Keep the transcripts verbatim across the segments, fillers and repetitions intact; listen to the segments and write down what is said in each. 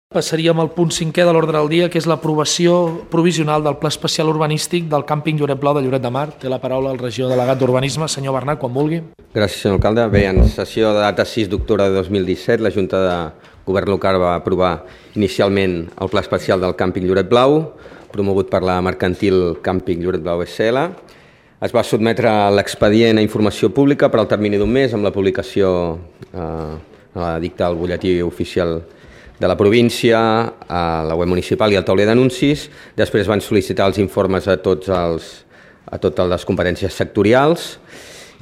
Passaríem al punt cinquè de l'ordre del dia, que és l'aprovació provisional del Pla Especial Urbanístic del càmping Lloret Blau de Lloret de Mar. Té la paraula el regidor delegat d'Urbanisme, senyor Bernat, quan vulgui. Gràcies, senyor alcalde. Bé, en sessió de data sis d'octubre de dos mil disset, la Junta de Govern Local va aprovar inicialment el Pla Especial del càmping Lloret Blau, promogut per la mercantil Càmping Lloret Blau S L. Es va sotmetre l'expedient a informació pública per al termini d'un mes amb la publicació eh, a l'edicte al butlletí oficial de la província, a la web municipal i al tauler d'anuncis. Després van sol·licitar els informes a, tots els, a totes les competències sectorials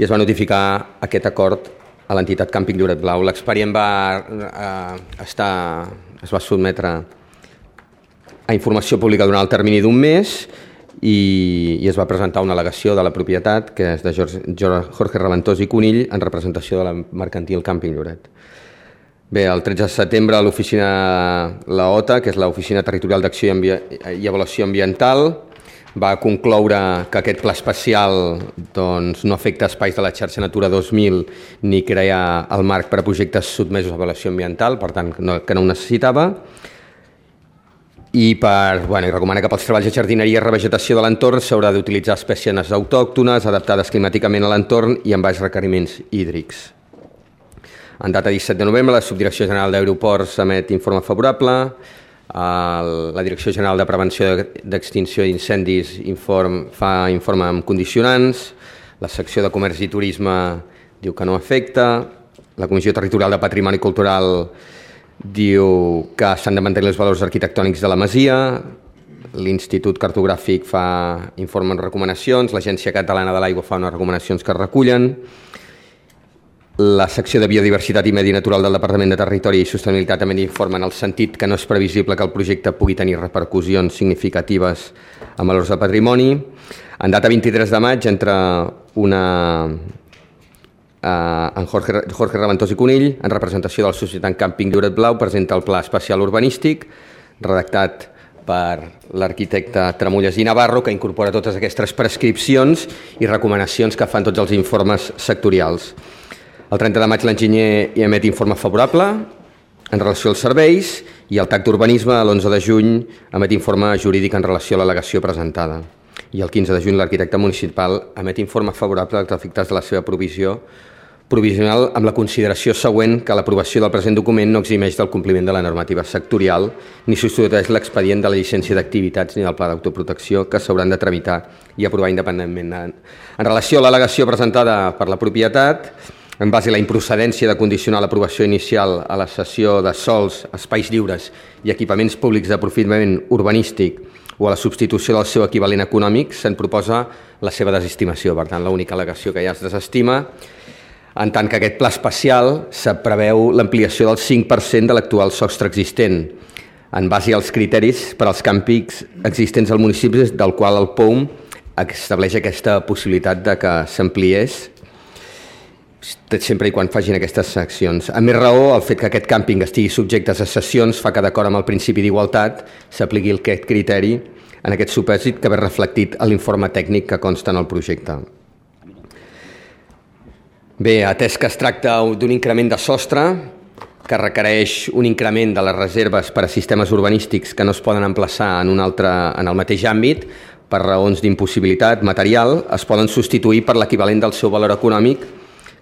i es va notificar aquest acord a l'entitat Càmping Lloret Blau. L'expedient va, eh, estar, es va sotmetre a informació pública durant el termini d'un mes i, i es va presentar una al·legació de la propietat, que és de Jorge, Jorge Raventós i Conill, en representació de la mercantil Càmping Lloret. Bé, el tretze de setembre l'oficina, la O T A, que és l'Oficina Territorial d'Acció i Avaluació Ambiental, va concloure que aquest pla especial doncs, no afecta espais de la xarxa Natura dos mil ni crea el marc per a projectes sotmesos a avaluació ambiental, per tant, no, que no ho necessitava. I, per, bueno, i recomana que pels treballs de jardineria i revegetació de l'entorn s'haurà d'utilitzar espècies autòctones, adaptades climàticament a l'entorn i amb baix requeriments hídrics. En data disset de novembre, la Subdirecció General d'Aeroports emet informe favorable, la Direcció General de Prevenció d'Extinció d'Incendis inform, fa informe amb condicionants, la secció de Comerç i Turisme diu que no afecta, la Comissió Territorial de Patrimoni Cultural diu que s'han de mantenir els valors arquitectònics de la masia, l'Institut Cartogràfic fa informe amb recomanacions, l'Agència Catalana de l'Aigua fa unes recomanacions que es recullen, la secció de Biodiversitat i Medi Natural del Departament de Territori i Sostenibilitat també informa en el sentit que no és previsible que el projecte pugui tenir repercussions significatives en valors de patrimoni. En data vint-i-tres de maig, entre una, eh, en Jorge, Jorge Raventós i Conill, en representació de la Societat Càmping Lloret Blau, presenta el Pla Especial Urbanístic, redactat per l'arquitecte Tramulles i Navarro, que incorpora totes aquestes prescripcions i recomanacions que fan tots els informes sectorials. El trenta de maig l'enginyer hi emet informe favorable en relació als serveis i el T A C d'Urbanisme l'onze de juny emet informe jurídic en relació a l'al·legació presentada. I el quinze de juny l'arquitecte municipal emet informe favorable als efectes de la seva provisió provisional amb la consideració següent que l'aprovació del present document no eximeix del compliment de la normativa sectorial ni substitueix l'expedient de la llicència d'activitats ni del pla d'autoprotecció que s'hauran de tramitar i aprovar independentment. En relació a l'al·legació presentada per la propietat, en base a la improcedència de condicionar l'aprovació inicial a la cessió de sols, espais lliures i equipaments públics d'aprofitament urbanístic o a la substitució del seu equivalent econòmic, se'n proposa la seva desestimació. Per tant, l'única al·legació que ja es desestima, en tant que aquest pla especial se preveu l'ampliació del cinc per cent de l'actual sostre existent, en base als criteris per als càmpings existents al municipi, del qual el P O U M estableix aquesta possibilitat de que s'ampliés sempre i quan facin aquestes seccions. A més raó, el fet que aquest càmping estigui subjecte a cessions fa que, d'acord amb el principi d'igualtat, s'apliqui aquest criteri en aquest supòsit que ve reflectit a l'informe tècnic que consta en el projecte. Bé, atès que es tracta d'un increment de sostre que requereix un increment de les reserves per a sistemes urbanístics que no es poden emplaçar en un altre, en el mateix àmbit, per raons d'impossibilitat material, es poden substituir per l'equivalent del seu valor econòmic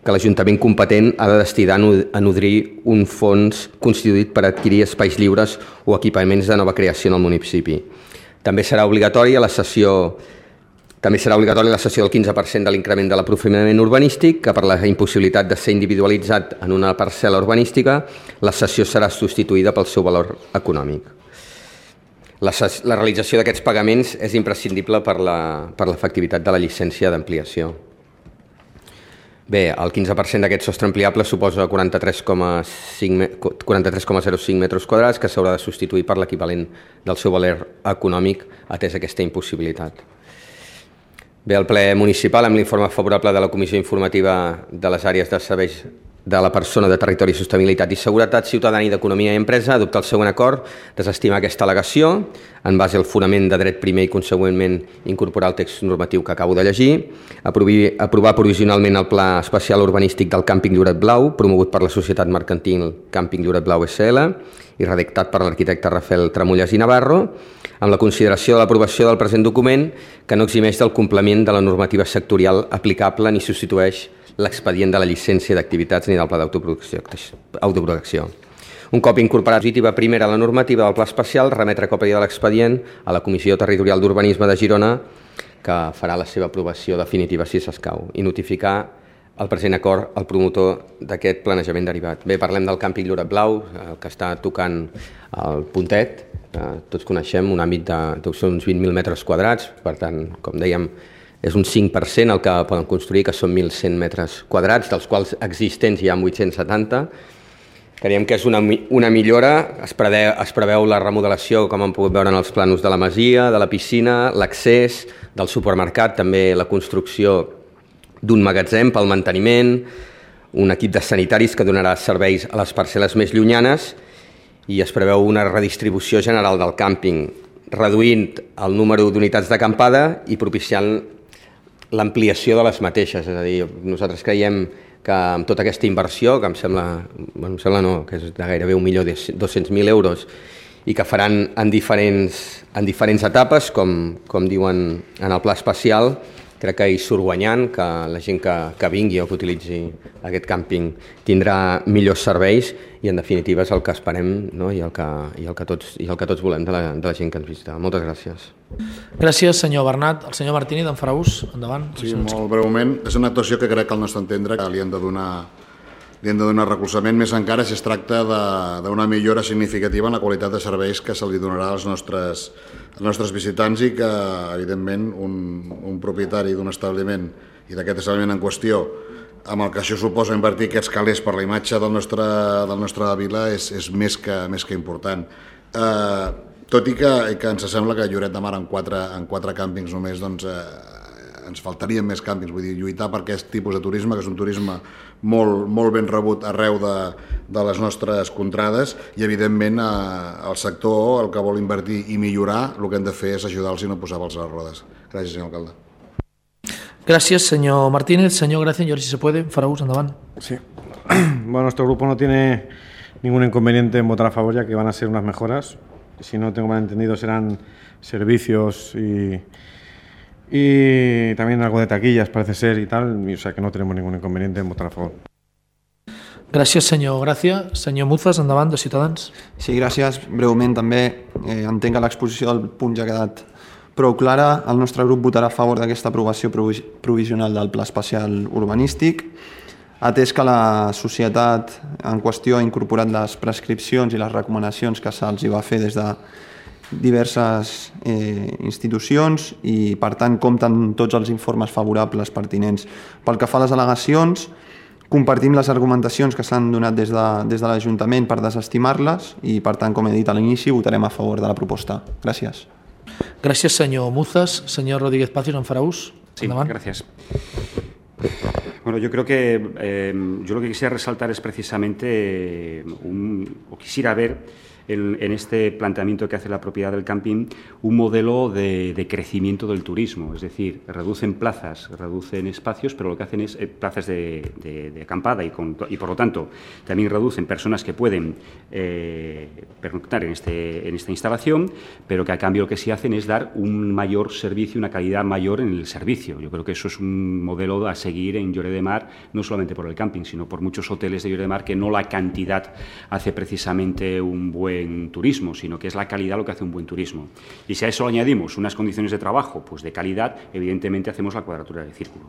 que l'Ajuntament competent ha de destinar a nodrir un fons constituït per adquirir espais lliures o equipaments de nova creació en el municipi. També serà obligatòria la cessió, també serà obligatòria la cessió del quinze per cent de l'increment de l'aprofitament urbanístic, que per la impossibilitat de ser individualitzat en una parcel·la urbanística, la cessió serà substituïda pel seu valor econòmic. La, la realització d'aquests pagaments és imprescindible per l'efectivitat de la llicència d'ampliació. Bé, el quinze per cent d'aquest sostre ampliable suposa quaranta-tres coma zero cinc metres quadrats que s'haurà de substituir per l'equivalent del seu valor econòmic atès aquesta impossibilitat. Bé, el ple municipal, amb l'informe favorable de la Comissió Informativa de les Àrees de Serveis de la persona de Territori, Sostenibilitat i Seguretat Ciutadana i d'Economia i Empresa adoptar el següent acord, desestimar aquesta al·legació en base al fonament de dret primer i consegüentment incorporar el text normatiu que acabo de llegir, aprovar, aprovar provisionalment el Pla Especial Urbanístic del Càmping Lloret Blau, promogut per la Societat Mercantil Càmping Lloret Blau S L i redactat per l'arquitecte Rafael Tramullas i Navarro, amb la consideració de l'aprovació del present document que no eximeix del complement de la normativa sectorial aplicable ni substitueix l'expedient de la llicència d'activitats ni del pla d'autoprotecció. Un cop incorporat positiva primera a la normativa del pla especial, remetre còpia de l'expedient a la Comissió Territorial d'Urbanisme de Girona, que farà la seva aprovació definitiva si s'escau, i notificar el present acord al promotor d'aquest planejament derivat. Bé, parlem del càmping Lloret Blau, el que està tocant el Puntet. Tots coneixem un àmbit de uns vint mil metres quadrats, per tant, com dèiem, és un cinc per cent el que poden construir, que són mil cent metres quadrats, dels quals existents hi ha vuit-cents setanta. Creiem que és una, una millora, es preveu, es preveu la remodelació, com hem pogut veure en els planos de la masia, de la piscina, l'accés del supermercat, també la construcció d'un magatzem pel manteniment, un equip de sanitaris que donarà serveis a les parcel·les més llunyanes i es preveu una redistribució general del càmping, reduint el número d'unitats d'acampada i propiciant l'ampliació de les mateixes. És a dir, nosaltres creiem que amb tota aquesta inversió, que em sembla, bueno, em sembla no, que és de gairebé un milió dos-cents mil euros i que faran en diferents, en diferents etapes, com, com diuen en el pla especial, crec que hi surt guanyant, que la gent que, que vingui o que utilitzi aquest càmping tindrà millors serveis i en definitiva és el que esperem, no? I, el que, i, el que tots, i el que tots volem de la, de la gent que ens visita. Moltes gràcies. Gràcies, senyor Bernat. El senyor Martínez, en farà ús. Endavant. Sí, molt breument. És una actuació que crec que al nostre entendre li hem de donar, li hem de donar recolzament, més encara si es tracta d'una millora significativa en la qualitat de serveis que se li donarà als nostres, als nostres visitants i que, evidentment, un, un propietari d'un establiment i d'aquest establiment en qüestió, amb el que això suposa invertir aquests calés per la imatge del nostre, del nostre vila és, és més, que, més que important. Eh, tot i que, que ens sembla que a Lloret de Mar en quatre, en quatre càmpings només doncs, eh, ens faltarien més càmpings, vull dir, lluitar per aquest tipus de turisme, que és un turisme molt, molt ben rebut arreu de, de les nostres contrades i evidentment eh, el sector el que vol invertir i millorar el que hem de fer és ajudar-los i no posar pels a les rodes. Gràcies, senyor alcalde. Gracias, señor Martínez. Señor Gracia, yo si se puede, Faraús, andaban. Sí. Bueno, nuestro grupo no tiene ningún inconveniente en votar a favor, ya que van a ser unas mejoras. Si no tengo mal entendido, serán servicios y, y también algo de taquillas, parece ser, y tal. O sea que no tenemos ningún inconveniente en votar a favor. Gràcies, senyor Gràcia. Senyor Muzas, endavant, de Ciutadans. Sí, gràcies. Breument, també eh, entenc que l'exposició del punt ja ha quedat prou clara. El nostre grup votarà a favor d'aquesta aprovació provisional del Pla Especial Urbanístic, atès que la societat en qüestió ha incorporat les prescripcions i les recomanacions que se'ls va fer des de diverses eh, institucions i, per tant, compten tots els informes favorables pertinents. Pel que fa a les al·legacions, compartim les argumentacions que s'han donat des de, des de l'Ajuntament per desestimar-les i, per tant, com he dit a l'inici, votarem a favor de la proposta. Gràcies. Gràcies, senyor Muzas. Señor Rodríguez Pacios, en farà ús. Sí, gracias. Bueno, yo creo que eh, yo lo que quisiera resaltar es precisamente eh, un, o quisiera ver en, en este planteamiento que hace la propiedad del camping un modelo de, de crecimiento del turismo, es decir, reducen plazas, reducen espacios, pero lo que hacen es eh, plazas de, de, de acampada y, con, y por lo tanto también reducen personas que pueden eh, pernoctar en, este, en esta instalación, pero que a cambio lo que sí hacen es dar un mayor servicio, una calidad mayor en el servicio. Yo creo que eso es un modelo a seguir en Lloret de Mar, no solamente por el camping, sino por muchos hoteles de Lloret de Mar, que no la cantidad hace precisamente un buen turismo, sino que es la calidad lo que hace un buen turismo. Y si a eso añadimos unas condiciones de trabajo pues de calidad, evidentemente hacemos la cuadratura del círculo.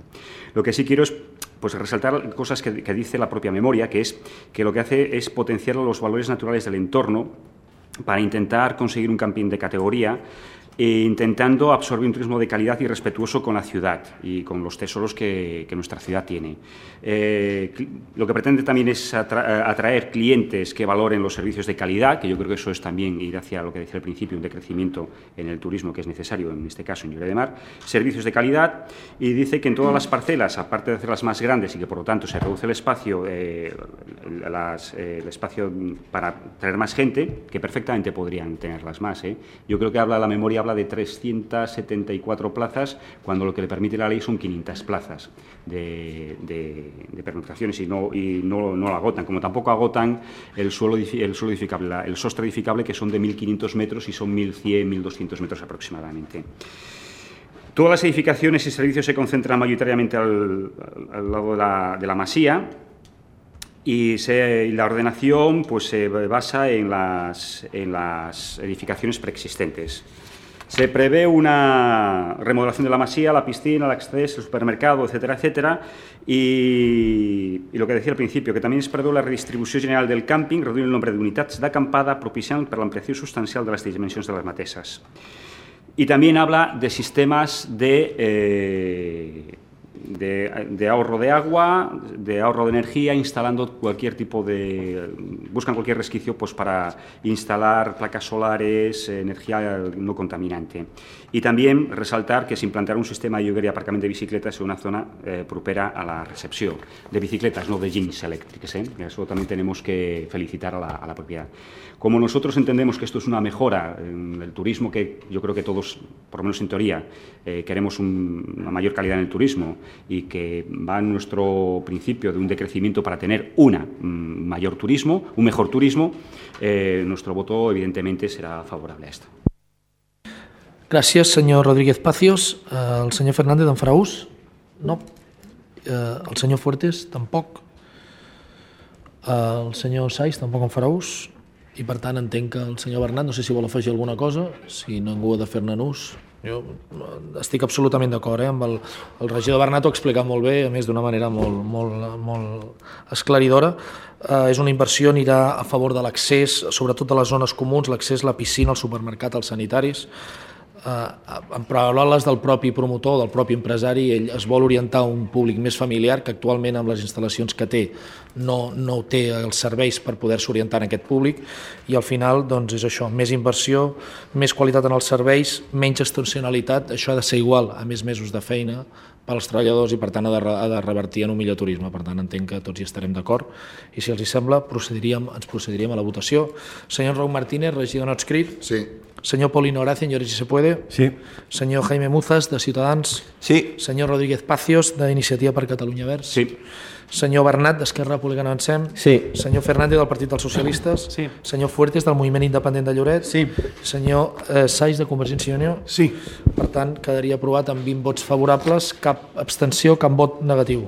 Lo que sí quiero es pues, resaltar cosas que, que dice la propia memoria, que es que lo que hace es potenciar los valores naturales del entorno para intentar conseguir un camping de categoría e intentando absorber un turismo de calidad y respetuoso con la ciudad y con los tesoros que, que nuestra ciudad tiene. Eh, lo que pretende también es atra atraer clientes que valoren los servicios de calidad, que yo creo que eso es también ir hacia lo que decía al principio, un decrecimiento en el turismo que es necesario, en este caso en Lloret de Mar, servicios de calidad, y dice que en todas las parcelas, aparte de hacerlas más grandes y que por lo tanto se reduce el espacio, eh, las, eh, el espacio para traer más gente, que perfectamente podrían tenerlas más. ¿eh? Yo creo que habla la memoria habla de trescientas setenta y cuatro plazas, cuando lo que le permite la ley son quinientas plazas de, de, de pernoctaciones y, no, y no, no lo agotan, como tampoco agotan el suelo, el suelo edificable, el sostre edificable, que son de mil quinientos metros y son mil cien, mil doscientos metros aproximadamente. Todas las edificaciones y servicios se concentran mayoritariamente al, al lado de la, de la masía, y, se, y la ordenación pues, se basa en las, en las edificaciones preexistentes. Se prevé una remodelación de la masía, la piscina, el acceso, el supermercado, etcétera, etcétera, i, i el que decía al principio, que també es preveu la redistribució general del càmping, reduint el nombre d'unitats d'acampada, propiciant per l'ampliació substancial de les dimensions de les mateixes. Y también habla de sistemas de, eh, de, de ahorro de agua, de ahorro de energía, instalando cualquier tipo de... buscan cualquier resquicio pues, para instalar placas solares, energía no contaminante. Y también resaltar que se implantarà un sistema de lloguer i aparcament de bicicletas en una zona eh, propera a la recepció de bicicletas, no de jeans eléctricas. ¿eh? Eso también tenemos que felicitar a la, a la propiedad. Como nosotros entendemos que esto es una mejora en el turismo, que yo creo que todos, por lo menos en teoría, eh, queremos un, una mayor calidad en el turismo y que va en nuestro principio de un decrecimiento para tener una mm, mayor turismo, un mejor turismo, eh, nuestro voto evidentemente será favorable a esto. Gràcies, senyor Rodríguez Pacios. El senyor Fernández en farà ús? No. El senyor Fuertes, tampoc. El senyor Saiz tampoc en farà ús. I per tant entenc que el senyor Bernat, no sé si vol afegir alguna cosa, si ningú ha de fer-ne ús. Jo estic absolutament d'acord, eh? amb el, el regidor Bernat ho ha explicat molt bé, a més d'una manera molt, molt, molt esclaridora. Eh, és una inversió, anirà a favor de l'accés, sobretot a les zones comuns, l'accés a la piscina, al supermercat, als sanitaris. Eh, en paraules del propi promotor, del propi empresari, ell es vol orientar a un públic més familiar, que actualment amb les instal·lacions que té no, no té els serveis per poder-se orientar en aquest públic, i al final doncs, és això, més inversió, més qualitat en els serveis, menys estacionalitat. Això ha de ser igual a més mesos de feina pels treballadors i per tant ha de, ha de revertir en un millor turisme. Per tant entenc que tots hi estarem d'acord i si els hi sembla procediríem, ens procediríem a la votació. Senyor Raúl Martínez, regidor no adscrit. Sí. Senyor Paulino Horacio, señores, si se puede. Sí. Senyor Jaime Muzas, de Ciutadans. Sí. Senyor Rodríguez Pacios, d'Iniciativa per Catalunya Verds. Sí. Senyor Bernat, d'Esquerra Republicana Avancem. Sí. Senyor Fernández, del Partit dels Socialistes. Sí. Senyor Fuertes, del Moviment Independent de Lloret. Sí. Senyor eh, Saiz, de Convergència i Unió. Sí. Per tant, quedaria aprovat amb vint vots favorables, cap abstenció, cap vot negatiu.